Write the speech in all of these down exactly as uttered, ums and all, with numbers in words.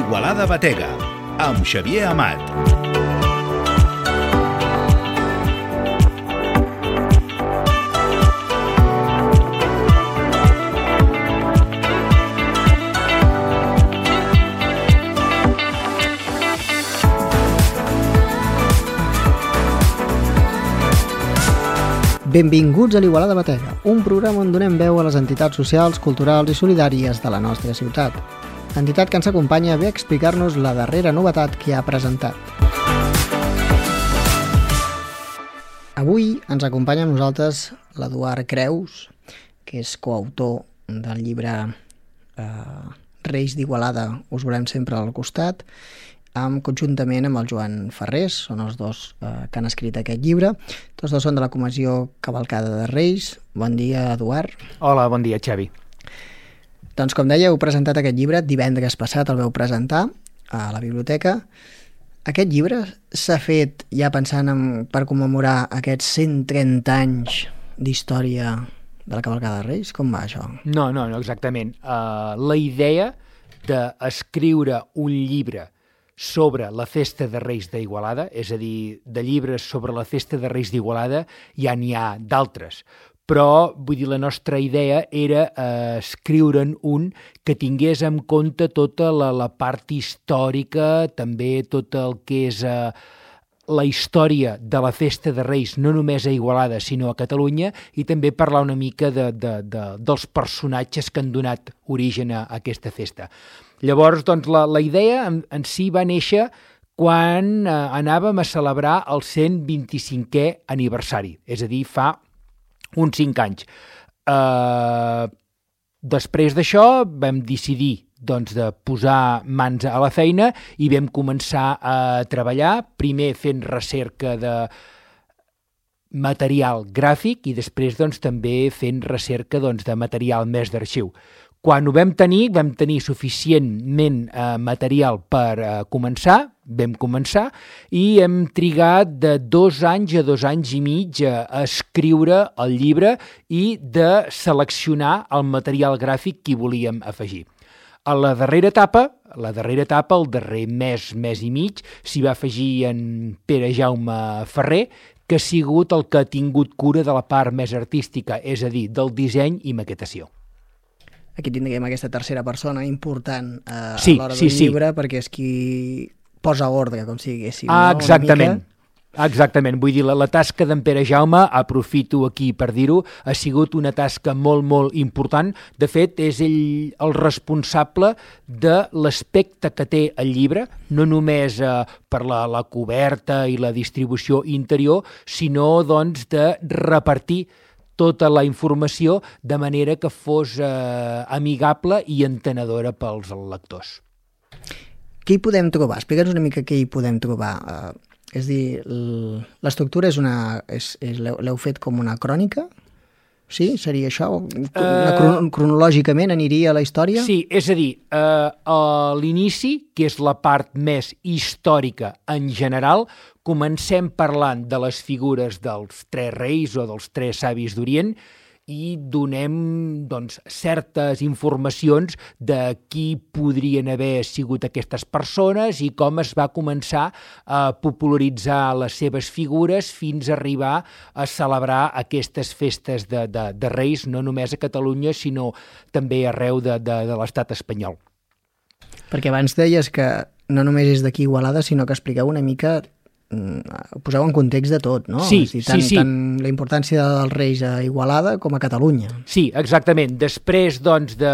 Igualada Batega, amb Xavier Amat. Benvinguts a l'Igualada Batega, un programa on donem veu a les entitats socials, culturals i solidàries de la nostra ciutat. L'entitat que ens acompanya ve a explicar-nos la darrera novetat que ha presentat. Avui ens acompanya amb nosaltres l'Eduard Creus, que és coautor del llibre eh, Reis d'Igualada, us volem sempre al costat, amb, conjuntament amb el Joan Ferrés, són els dos eh, que han escrit aquest llibre. Tots dos són de la Comissió Cavalcada de Reis. Bon dia, Eduard. Hola, bon dia, Xavi. Doncs, com deia, heu presentat aquest llibre, divendres passat el veu presentar a la biblioteca. Aquest llibre s'ha fet ja pensant en, per commemorar aquests cent trenta anys d'història de la Cavalcada de Reis? Com va això? No, no, no, exactament. Uh, la idea d'escriure un llibre sobre la Festa de Reis d'Igualada, és a dir, de llibres sobre la Festa de Reis d'Igualada ja n'hi ha d'altres, però vull dir, la nostra idea era eh, escriure'n un que tingués en compte tota la, la part històrica, també tot el que és eh, la història de la Festa de Reis, no només a Igualada, sinó a Catalunya, i també parlar una mica de, de, de, dels personatges que han donat origen a, a aquesta festa. Llavors, doncs, la, la idea en, en si va néixer quan eh, anàvem a celebrar el cent vint-i-cinquè aniversari, és a dir, fa uns cinc anys. Eh, després d'això vam decidir doncs, de posar mans a la feina i vam començar a treballar, primer fent recerca de material gràfic i després doncs, també fent recerca doncs, de material més d'arxiu. Quan ho vam tenir, vam tenir suficientment eh, material per eh, començar, vam començar, i hem trigat de dos anys a dos anys i mig a, a escriure el llibre i de seleccionar el material gràfic que hi volíem afegir. A la darrera etapa, la darrera etapa, el darrer mes, mes i mig, s'hi va afegir en Pere Jaume Ferrer, que ha sigut el que ha tingut cura de la part més artística, és a dir, del disseny i maquetació. Aquí tindríem aquesta tercera persona important eh, sí, a l'hora sí, del sí. llibre, perquè és qui posa ordre, com si diguéssim. Ah, no? exactament. Exactament, vull dir, la, la tasca d'en Pere Jaume, aprofito aquí per dir-ho, ha sigut una tasca molt, molt important. De fet, és ell el responsable de l'aspecte que té el llibre, no només eh, per la, la coberta i la distribució interior, sinó doncs, de repartir tota la informació de manera que fos eh, amigable i entenedora pels lectors. Què hi podem trobar? Explica'ns una mica què hi podem trobar. Uh, és a dir, l'estructura és una... És, és, l'heu fet com una crònica? Sí? Seria això? Una, uh, cronològicament aniria a la història? Sí, és a dir, uh, a l'inici, que és la part més històrica en general, comencem parlant de les figures dels tres reis o dels tres savis d'Orient i donem doncs, certes informacions de qui podrien haver sigut aquestes persones i com es va començar a popularitzar les seves figures fins a arribar a celebrar aquestes festes de, de, de reis, no només a Catalunya, sinó també arreu de, de, de l'estat espanyol. Perquè abans deies que no només és d'aquí Igualada, sinó que expliqueu una mica... poseu en context de tot, no? Sí, és dir, tant, sí, sí. Tant la importància dels reis a Igualada com a Catalunya. Sí, exactament. Després, doncs, de,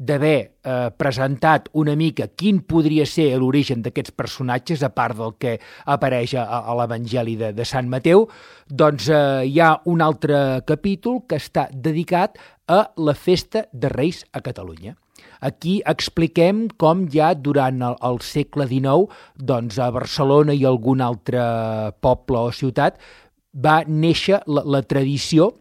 d'haver eh, presentat una mica quin podria ser l'origen d'aquests personatges, a part del que apareix a, a l'Evangeli de, de Sant Mateu, doncs eh, hi ha un altre capítol que està dedicat a la Festa de Reis a Catalunya. Aquí expliquem com ja durant el, el segle dinou, doncs a Barcelona i algun altre poble o ciutat, va néixer la, la tradició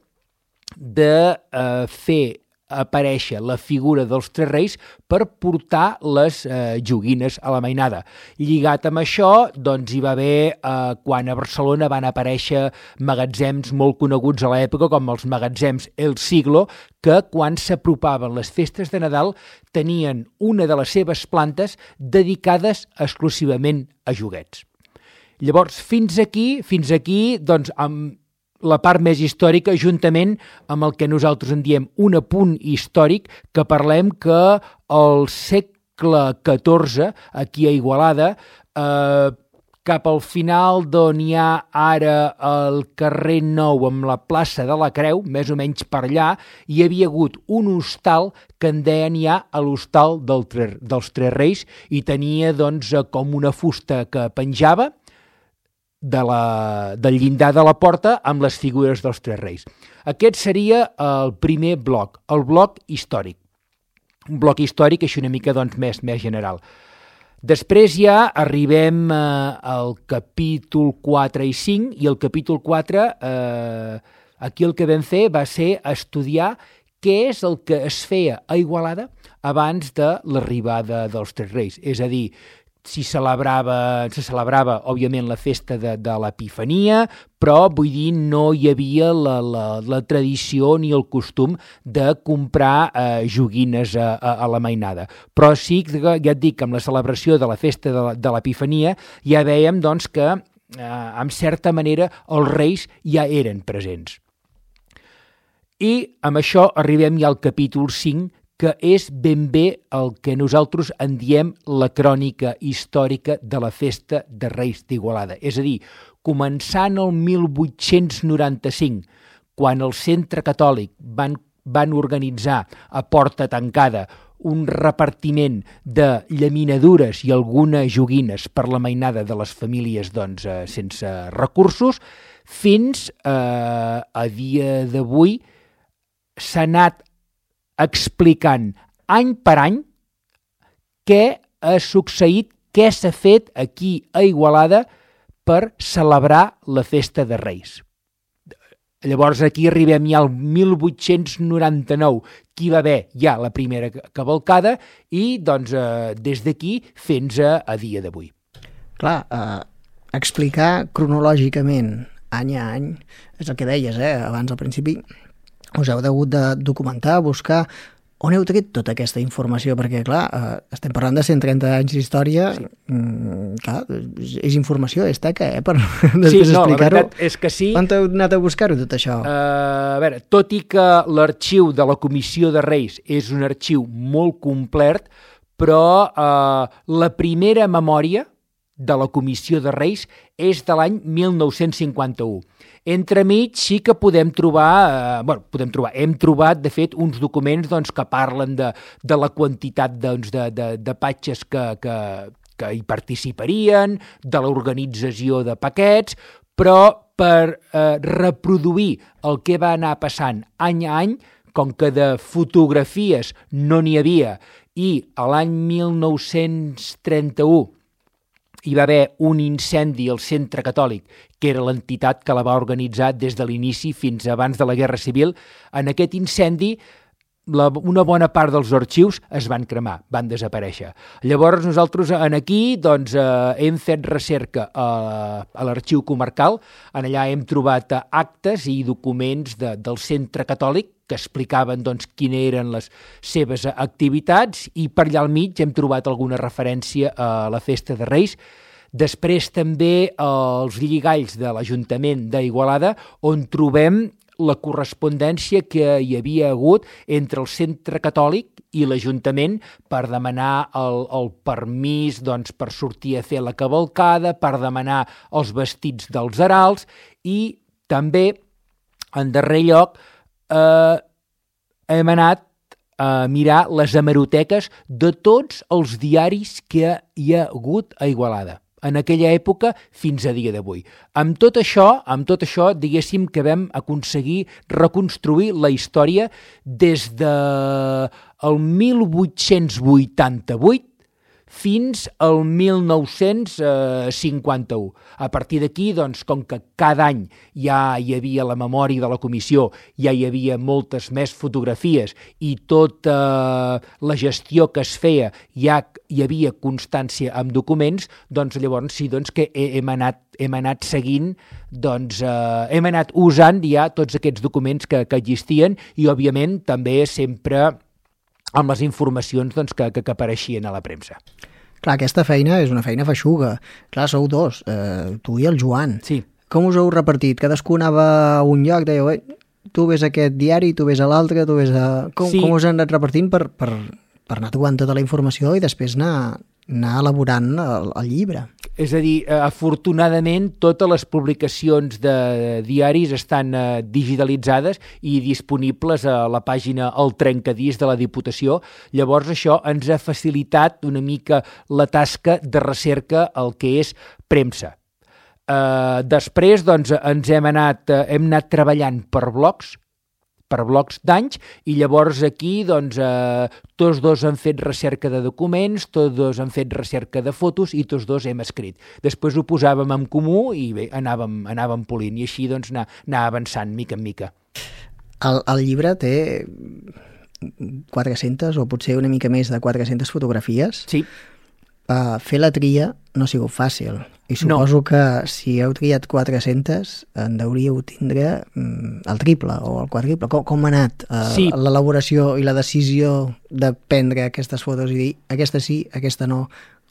de eh, fer aparèixer la figura dels Tres Reis per portar les eh, joguines a la mainada. Lligat amb això, doncs hi va haver, eh, quan a Barcelona van aparèixer magatzems molt coneguts a l'època, com els magatzems El Siglo, que quan s'apropaven les festes de Nadal tenien una de les seves plantes dedicades exclusivament a joguets. Llavors, fins aquí, fins aquí, doncs, amb la part més històrica, juntament amb el que nosaltres en diem un apunt històric, que parlem que al segle catorze, aquí a Igualada, eh, cap al final d'on hi ha ara el carrer Nou amb la plaça de la Creu, més o menys per allà, hi havia hagut un hostal que en deien ja a l'hostal del, dels Tres Reis i tenia doncs, com una fusta que penjava de la, del llindar de la porta amb les figures dels Tres Reis. Aquest seria el primer bloc, el bloc històric. Un bloc històric així una mica doncs, més, més general. Després ja arribem eh, al capítol quatre i cinc, i el capítol quatre, eh, aquí el que vam fer va ser estudiar què és el que es feia a Igualada abans de l'arribada dels Tres Reis. És a dir, si celebrava, se celebrava, òbviament, la festa de, de l'Epifania, però, vull dir, no hi havia la, la, la tradició ni el costum de comprar eh, joguines a, a, a la mainada. Però sí, ja et dic, amb la celebració de la festa de, de l'Epifania ja veiem doncs, que, eh, en certa manera, els reis ja eren presents. I amb això arribem ja al capítol cinc, que és ben bé el que nosaltres en diem la crònica històrica de la festa de Reis d'Igualada. És a dir, començant el mil vuit-cents noranta-cinc, quan el Centre Catòlic van, van organitzar a porta tancada un repartiment de llaminadures i algunes joguines per la mainada de les famílies doncs, eh, sense recursos, fins eh, a dia d'avui s'ha anat explicant any per any què ha succeït, què s'ha fet aquí a Igualada per celebrar la festa de Reis. Llavors aquí arribem ja al mil vuit-cents noranta-nou, que hi va haver ja la primera cavalcada i doncs eh, des d'aquí fins a, a dia d'avui. Clar, eh, explicar cronològicament any a any, és el que deies, eh, abans al principi, us heu hagut de documentar, buscar on heu tret tota aquesta informació, perquè clar, eh, estem parlant de cent trenta anys d'història, sí. mm, clar, és informació, és teca, eh, per després sí, no, explicar-ho. La veritat és que sí. On heu anat a buscar-ho tot això? Uh, a veure, tot i que l'arxiu de la Comissió de Reis és un arxiu molt complet, però uh, la primera memòria de la Comissió de Reis és de l'any mil nou-cents cinquanta-u. Entremig sí que podem trobar, eh, bueno, podem trobar, hem trobat, de fet, uns documents doncs, que parlen de, de la quantitat doncs, de, de, de patges que, que, que hi participarien, de l'organització de paquets, però per eh, reproduir el que va anar passant any a any, com que de fotografies no n'hi havia, i a l'any mil nou-cents trenta-u hi va haver un incendi al Centre Catòlic, que era l'entitat que la va organitzar des de l'inici fins abans de la Guerra Civil. En aquest incendi, la, una bona part dels arxius es van cremar, van desaparèixer. Llavors nosaltres en aquí doncs, eh, hem fet recerca a, a l'arxiu comarcal, en allà hem trobat actes i documents de, del Centre Catòlic que explicaven doncs, quines eren les seves activitats i per allà al mig hem trobat alguna referència a la festa de Reis. Després també els lligalls de l'Ajuntament d'Igualada, on trobem la correspondència que hi havia hagut entre el Centre Catòlic i l'Ajuntament per demanar el, el permís doncs, per sortir a fer la cavalcada, per demanar els vestits dels heralds i també, en darrer lloc, eh, hem anat a mirar les hemeroteques de tots els diaris que hi ha hagut a Igualada en aquella època fins a dia d'avui. Amb tot això, amb tot això, diguéssim que vam aconseguir reconstruir la història des de el mil vuit-cents vuitanta-vuit fins al mil nou-cents cinquanta-u. A partir d'aquí, doncs, com que cada any ja hi havia la memòria de la comissió, ja hi havia moltes més fotografies i tota la gestió que es feia ja hi havia constància amb documents, doncs llavors sí doncs, que hem anat, hem anat seguint, doncs eh, hem anat usant ja tots aquests documents que, que existien i, òbviament, també sempre amb les informacions doncs, que, que, que apareixien a la premsa. Clar, aquesta feina és una feina feixuga. Clar, sou dos, eh, tu i el Joan. Sí. Com us heu repartit? Cadascú anava a un lloc, dèieu, eh, tu ves a aquest diari, tu ves a l'altre, tu ves a... Com, sí. com us han anat repartint per, per, per anar trobant tota la informació i després anar, anar elaborant el, el llibre? És a dir, afortunadament, totes les publicacions de diaris estan eh, digitalitzades i disponibles a la pàgina El Trencadís de la Diputació. Llavors, això ens ha facilitat una mica la tasca de recerca al que és premsa. Eh, després, doncs, ens hem anat, eh, hem anat treballant per blocs, per blocs d'anys, i llavors aquí doncs, eh, tots dos han fet recerca de documents, tots dos han fet recerca de fotos i tots dos hem escrit. Després ho posàvem en comú i bé, anàvem, anàvem polint i així doncs, anar, anar avançant mica en mica. El, el llibre té quatre-centes o potser una mica més de quatre-centes fotografies. Sí. Uh, fer la tria no ha sigut fàcil. I suposo no. que si heu triat quatre-centes en deuríeu tindre mm, el triple o el quadriple. Com, com ha anat uh, sí. l'elaboració i la decisió de prendre aquestes fotos i dir aquesta sí, aquesta no?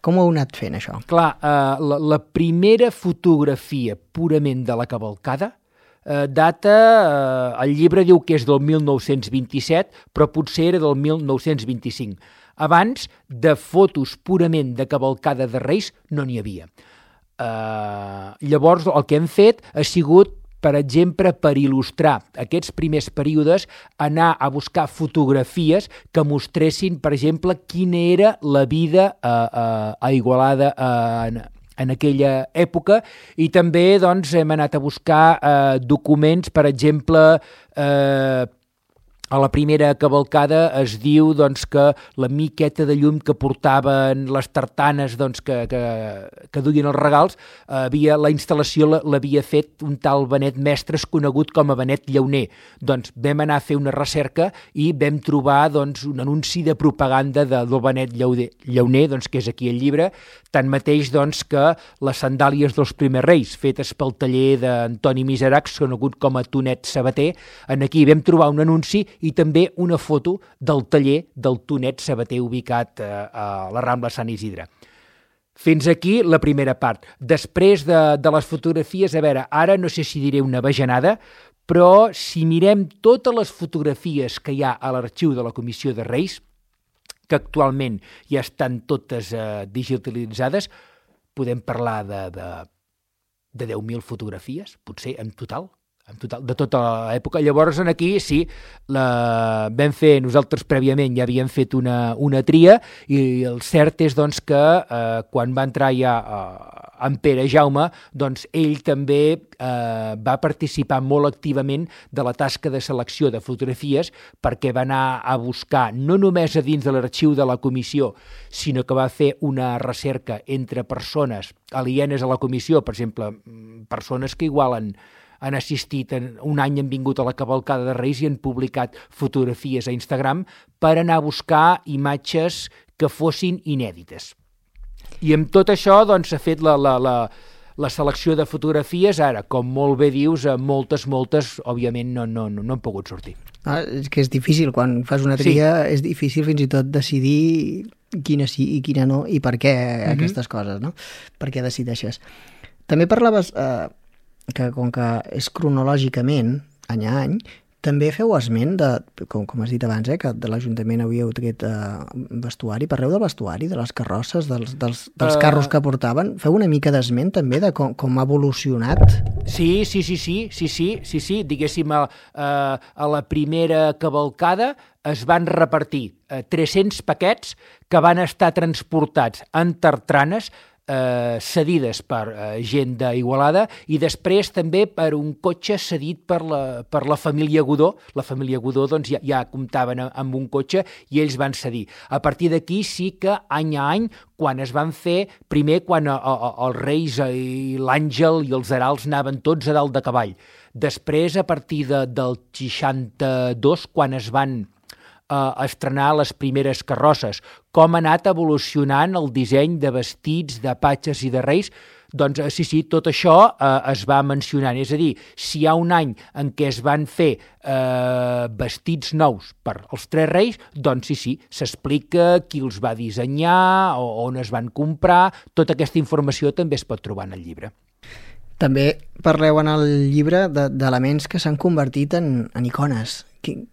Com heu anat fent això? Clar, uh, la, la primera fotografia purament de la cavalcada uh, data, uh, el llibre diu que és del mil nou-cents vint-i-set, però potser era del mil nou-cents vint-i-cinc. Abans, de fotos purament de cavalcada de Reis no n'hi havia. Uh, llavors el que hem fet ha sigut, per exemple, per il·lustrar aquests primers períodes, anar a buscar fotografies que mostressin, per exemple, quina era la vida uh, uh, a Igualada uh, en, en aquella època, i també doncs, hem anat a buscar uh, documents, per exemple, uh, a la primera cavalcada es diu doncs, que la miqueta de llum que portaven les tartanes doncs, que, que, que duien els regals, havia, la instal·lació l'havia fet un tal Benet Mestres conegut com a Benet Llauner. Doncs vam anar a fer una recerca i vam trobar doncs, un anunci de propaganda de, del Benet Llauner, doncs, que és aquí el llibre, tanmateix doncs, que les sandàlies dels primers reis, fetes pel taller d'Antoni Miseracs, conegut com a Tonet Sabater, en aquí vam trobar un anunci i també una foto del taller del Tonet Sabater ubicat eh, a la Rambla Sant Isidre. Fins aquí la primera part. Després de, de les fotografies, a veure, ara no sé si diré una bajanada, però si mirem totes les fotografies que hi ha a l'arxiu de la Comissió de Reis, que actualment ja estan totes eh, digitalitzades, podem parlar de, de, de deu mil fotografies, potser en total, en total, de tota l'època. Llavors, aquí sí, la vam fer, nosaltres prèviament ja havíem fet una, una tria, i el cert és doncs, que eh, quan va entrar ja eh, en Pere Jaume, doncs ell també eh, va participar molt activament de la tasca de selecció de fotografies, perquè va anar a buscar, no només a dins de l'arxiu de la comissió, sinó que va fer una recerca entre persones alienes a la comissió, per exemple, persones que igual han han assistit, en, un any han vingut a la cavalcada de Reis i han publicat fotografies a Instagram per anar a buscar imatges que fossin inèdites. I amb tot això doncs, s'ha fet la, la, la, la selecció de fotografies. Ara, com molt bé dius, moltes, moltes, òbviament, no, no, no, no han pogut sortir. Ah, és que és difícil, quan fas una tria, sí. És difícil fins i tot decidir quina sí i quina no, i per què mm-hmm. aquestes coses, no? Per què decideixes. També parlaves... Eh, que com que és cronològicament, any a any, també feu esment de, com, com has dit abans, eh, que de l'Ajuntament havíeu tret eh, vestuari. Parleu del vestuari, de les carrosses, dels, dels, dels uh... carros que portaven. Feu una mica d'esment també de com, com ha evolucionat? Sí, sí, sí, sí, sí, sí, sí, sí. Diguéssim, a, a la primera cavalcada es van repartir eh, tres-cents paquets que van estar transportats en tartranes eh, cedides per eh, gent d'Igualada i després també per un cotxe cedit per la, per la família Godó. La família Godó doncs, ja, ja comptaven amb un cotxe i ells van cedir. A partir d'aquí sí que any a any, quan es van fer, primer quan a, a, els Reis i l'Àngel i els Heralds anaven tots a dalt de cavall. Després, a partir de, del seixanta-dos, quan es van a estrenar les primeres carrosses, com ha anat evolucionant el disseny de vestits, de patges i de reis, doncs sí, sí, tot això eh, es va mencionant. És a dir, si hi ha un any en què es van fer eh, vestits nous per als tres reis, doncs sí, sí, s'explica qui els va dissenyar, o on es van comprar, tota aquesta informació també es pot trobar en el llibre. També parleu en el llibre d'elements que s'han convertit en, en icones. Quin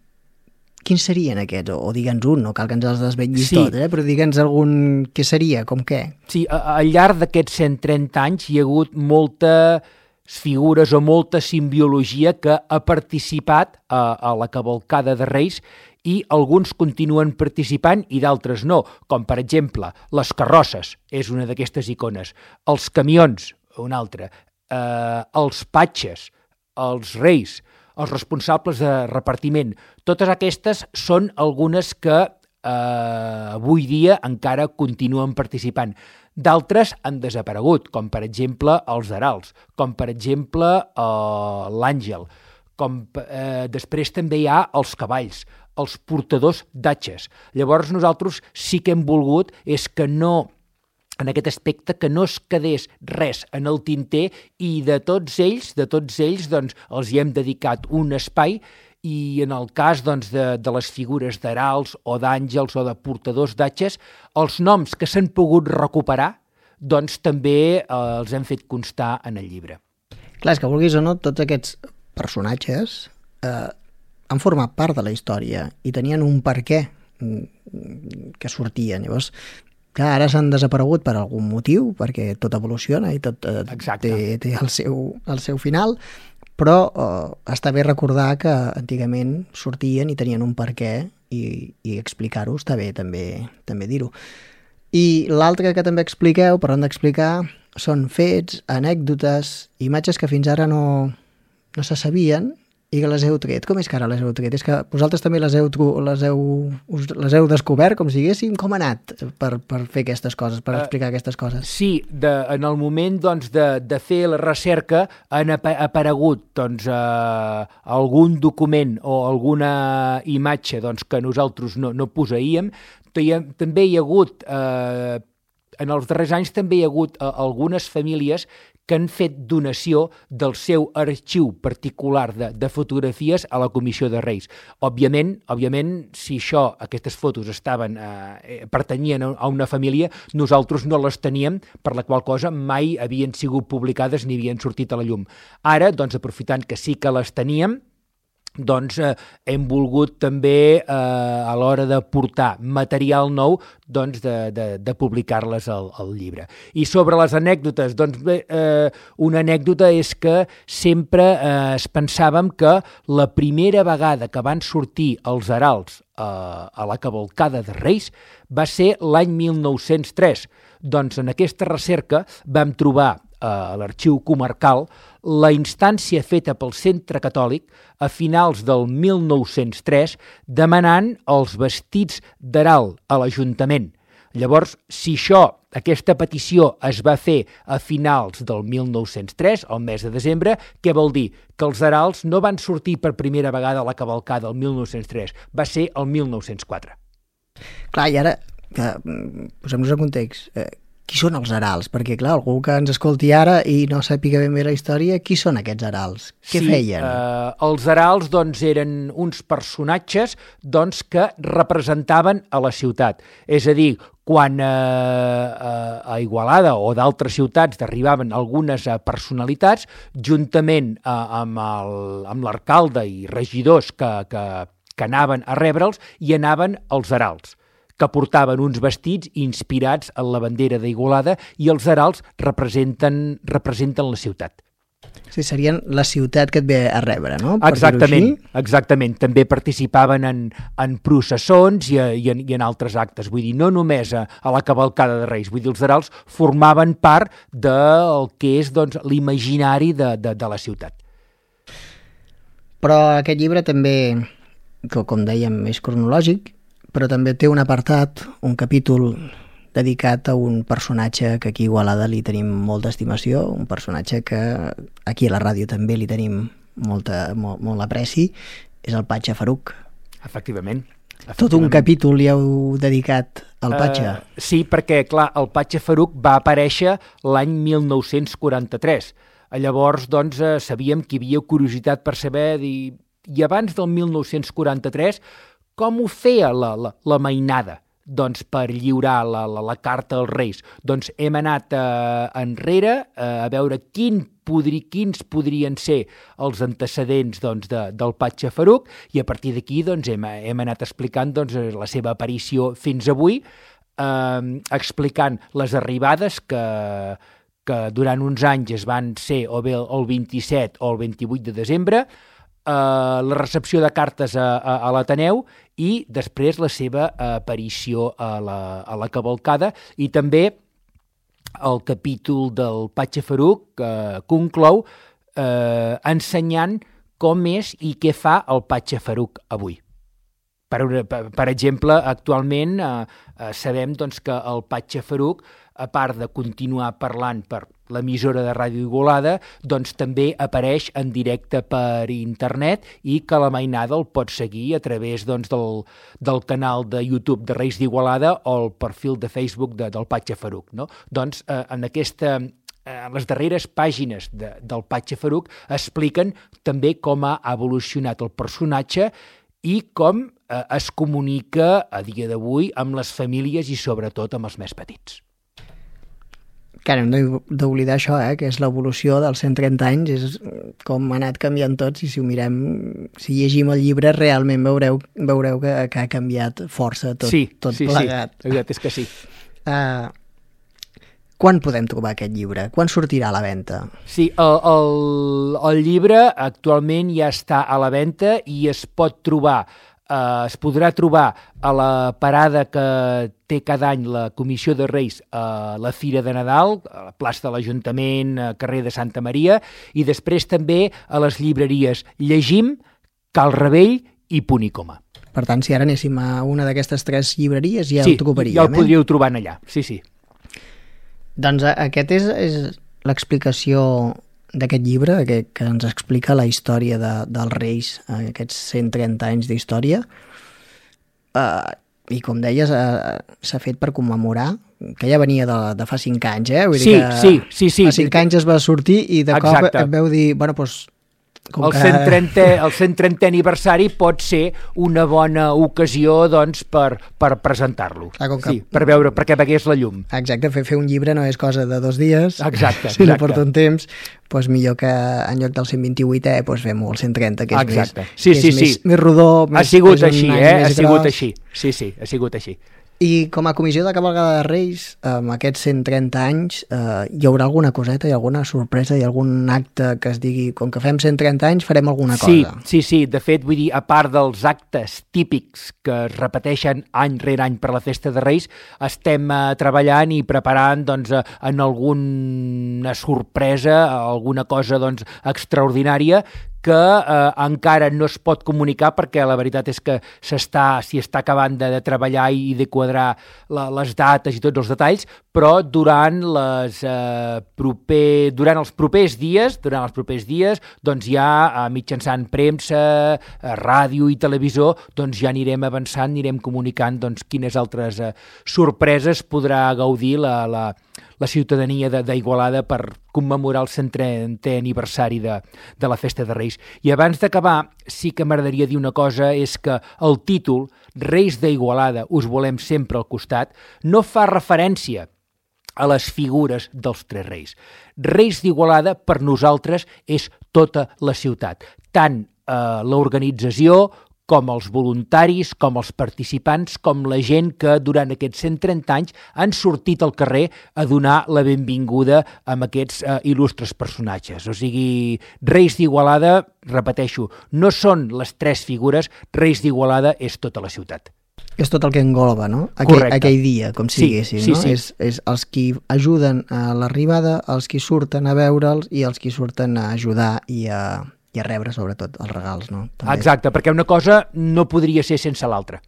Quins serien aquests? O, o digue'ns un, no cal que ens els desvetllis sí. tot, eh? Però digue'ns algun... Què seria? Com què? Sí, al llarg d'aquests cent trenta anys hi ha hagut moltes figures o molta simbiologia que ha participat a, a la cavalcada de Reis i alguns continuen participant i d'altres no, com per exemple les carrosses, és una d'aquestes icones, els camions, una altra, eh, els patges, els reis, els responsables de repartiment. Totes aquestes són algunes que eh, avui dia encara continuen participant. D'altres han desaparegut, com per exemple els heralds, com per exemple eh, l'àngel, com eh, després també hi ha els cavalls, els portadors d'atxes. Llavors nosaltres sí que hem volgut és que no... en aquest aspecte, que no es quedés res en el tinter i de tots ells, de tots ells, doncs, els hi hem dedicat un espai i en el cas doncs, de, de les figures d'heralds o d'àngels o de portadors d'atxes, els noms que s'han pogut recuperar, doncs també eh, els hem fet constar en el llibre. Clar, és que vulguis o no, tots aquests personatges eh, han format part de la història i tenien un per què que sortien. Llavors, clar, ara s'han desaparegut per algun motiu, perquè tot evoluciona i tot eh, té, té el, seu, el seu final, però eh, està bé recordar que antigament sortien i tenien un per què i, i explicar-ho està bé també, també dir-ho. I l'altre que també expliqueu, parlant d'explicar, són fets, anècdotes, imatges que fins ara no, no se sabien i que les heu tret. Com és que ara les heu tret? És que vosaltres també les heu, les heu, us, les heu descobert, com si diguéssim, com ha anat per, per fer aquestes coses, per explicar uh, aquestes coses? Sí, de, en el moment doncs, de, de fer la recerca han aparegut doncs, uh, algun document o alguna imatge doncs, que nosaltres no, no posseïem. També hi ha hagut, uh, en els darrers anys també hi ha hagut uh, algunes famílies que han fet donació del seu arxiu particular de, de fotografies a la Comissió de Reis. Òbviament, òbviament si això, aquestes fotos estaven, eh, pertanyien a una família, nosaltres no les teníem, per la qual cosa mai havien sigut publicades ni havien sortit a la llum. Ara, doncs, aprofitant que sí que les teníem, doncs eh, hem volgut també eh, a l'hora de portar material nou doncs de, de, de publicar-les al, al llibre. I sobre les anècdotes, doncs bé, eh, una anècdota és que sempre eh, es pensàvem que la primera vegada que van sortir els heralds eh, a la cavalcada de Reis va ser l'any mil nou-cents tres. Doncs en aquesta recerca vam trobar a l'arxiu comarcal la instància feta pel Centre Catòlic a finals del mil nou-cents tres demanant els vestits d'herald a l'Ajuntament. Llavors, si això, aquesta petició es va fer a finals del mil nou-cents tres, al mes de desembre, què vol dir? Que els heralds no van sortir per primera vegada a la cavalcada el mil nou-cents tres, va ser el mil nou-cents quatre. Clar, i ara, que, posem-nos en context, eh, qui són els heralds? Perquè, clar, algú que ens escolti ara i no sàpiga ben bé la història, qui són aquests heralds? Què sí, feien? Eh, els heralds doncs, eren uns personatges doncs, que representaven a la ciutat. És a dir, quan eh, a Igualada o d'altres ciutats arribaven algunes personalitats, juntament eh, amb el, amb l'alcalde i regidors que, que, que anaven a rebre'ls, hi anaven els heralds, que portaven uns vestits inspirats en la bandera d'Igualada i els heralds representen, representen la ciutat. Sí, serien la ciutat que et ve a rebre, no? Per Exactament, exactament. També participaven en, en processons i, i, en, i en altres actes. Vull dir, no només a, a la cavalcada de Reis, vull dir, els heralds formaven part del que és doncs, l'imaginari de, de, de la ciutat. Però aquest llibre també, que com dèiem, és cronològic, però també té un apartat, un capítol dedicat a un personatge que aquí a Igualada li tenim molta estimació, un personatge que aquí a la ràdio també li tenim molta, molt, molt apreci, és el Patxa Faruc. Efectivament. Tot un capítol li heu dedicat al Patxa. Uh, sí, perquè, clar, el Patxa Faruc va aparèixer l'any mil nou-cents quaranta-tres. Llavors, doncs, eh, sabíem que hi havia curiositat per saber, i, i abans del mil nou-cents quaranta-tres, com ho feia la, la, la mainada? Doncs per lliurar la, la, la carta als Reis. Doncs hem anat eh, enrere eh, a veure quin podri, quins podrien ser els antecedents doncs, de, del Patxa Faruc, i a partir d'aquí doncs, hem, hem anat explicant doncs, la seva aparició fins avui, eh, explicant les arribades que, que durant uns anys es van ser o bé el vint-i-set o el vint-i-vuit de desembre, Uh, la recepció de cartes a, a, a l'Ateneu i després la seva aparició a la, a la cavalcada, i també el capítol del Patxa Faruc uh, conclou uh, ensenyant com és i què fa el Patxa Faruc avui. Per, per, per exemple, actualment uh, uh, sabem doncs, que el Patxa Faruc, a part de continuar parlant per l'emissora de Ràdio Igualada, doncs també apareix en directe per internet, i que la mainada el pot seguir a través doncs, del, del canal de YouTube de Reis d'Igualada o el perfil de Facebook de, del Patxa Faruc. No? Doncs eh, en aquesta... En les darreres pàgines de, del Patxa Faruc expliquen també com ha evolucionat el personatge i com eh, es comunica a dia d'avui amb les famílies i sobretot amb els més petits. Clar, hem d'oblidar això, eh, que és l'evolució dels cent trenta anys, és com ha anat canviant tots, i si ho mirem, si llegim el llibre, realment veureu, veureu que, que ha canviat força tot, sí, tot sí, plegat. Sí, exacte, és que sí. Uh, quan podem trobar aquest llibre? Quan sortirà a la venda? Sí, el, el, el llibre actualment ja està a la venda i es pot trobar, eh, es podrà trobar a la parada que té cada any la Comissió de Reis a la Fira de Nadal, a la plaça de l'Ajuntament, a carrer de Santa Maria, i després també a les llibreries Llegim, Cal Rebell i Punt i Coma. Per tant, si ara anéssim a una d'aquestes tres llibreries ja sí, el trobaríem. Sí, ja el podríeu trobar allà, sí, sí. Doncs aquest és, és l'explicació d'aquest llibre, que, que ens explica la història de, dels Reis, aquests cent trenta anys d'història. Uh, I com deies, uh, s'ha fet per commemorar, que ja venia de, de fa cinc anys, eh? Vull sí, dir que sí, sí, sí. Fa cinc anys es va sortir i de Exacte. Cop et veu dir, bueno, doncs... El, que... cent trentè, el cent trentè aniversari pot ser una bona ocasió doncs, per, per presentar-lo. Ah, que... sí, per veure, perquè vegués la llum. Exacte, fer, fer un llibre no és cosa de dos dies. Exacte, si exacte. no porta un temps, doncs millor que en lloc del cent vint-i-vuitè doncs fem-ho al cent trenta, que és, exacte. més, sí, que és sí, més, sí. més rodó. Més, ha sigut més així, eh? Ha sigut gros. així. Sí, sí, ha sigut així. I com a comissió de cavalcada de Reis, amb aquests cent trenta anys, eh, hi haurà alguna coseta, hi ha alguna sorpresa, hi ha algun acte que es digui, com que fem cent trenta anys, farem alguna sí, cosa? Sí, sí, de fet, vull dir, a part dels actes típics que es repeteixen any rere any per la Festa de Reis, estem eh, treballant i preparant doncs, eh, en alguna sorpresa, alguna cosa doncs, extraordinària, que eh, encara no es pot comunicar perquè la veritat és que s'està, s'hi està acabant de, de treballar i de quadrar la, les dates i tots els detalls, però durant, les, eh, proper, durant els propers dies, durant els propers dies, doncs ja eh, mitjançant premsa, eh, ràdio i televisió, doncs ja anirem avançant, anirem comunicant doncs, quines altres eh, sorpreses podrà gaudir la, la, la ciutadania d'Igualada per commemorar el cent trentè aniversari de, de la Festa de Reis. I abans d'acabar, sí que m'agradaria dir una cosa, és que el títol, Reis d'Igualada, us volem sempre al costat, no fa referència a les figures dels tres reis. Reis d'Igualada, per nosaltres, és tota la ciutat, tant eh, l'organització com els voluntaris, com els participants, com la gent que durant aquests cent trenta anys han sortit al carrer a donar la benvinguda a aquests eh, il·lustres personatges. O sigui, Reis d'Igualada, repeteixo, no són les tres figures, Reis d'Igualada és tota la ciutat. És tot el que engloba, no? Aquell, aquell dia, com si sí, diguéssim, sí, no? Sí. És, és els qui ajuden a l'arribada, els qui surten a veure'ls i els qui surten a ajudar i a, i a rebre, sobretot, els regals, no? També. Exacte, perquè una cosa no podria ser sense l'altra.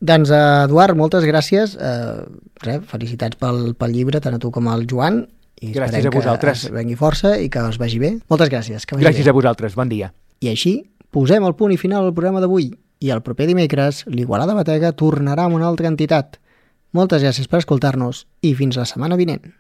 Doncs, Eduard, moltes gràcies. Eh, res, felicitats pel, pel llibre, tant a tu com al Joan. I gràcies a vosaltres. Que vengui força i que us vagi bé. Moltes gràcies. Que vagi gràcies bé. A vosaltres, bon dia. I així posem el punt i final al programa d'avui. I el proper dimecres, l'Igualada Batega tornarà amb una altra entitat. Moltes gràcies per escoltar-nos i fins la setmana vinent.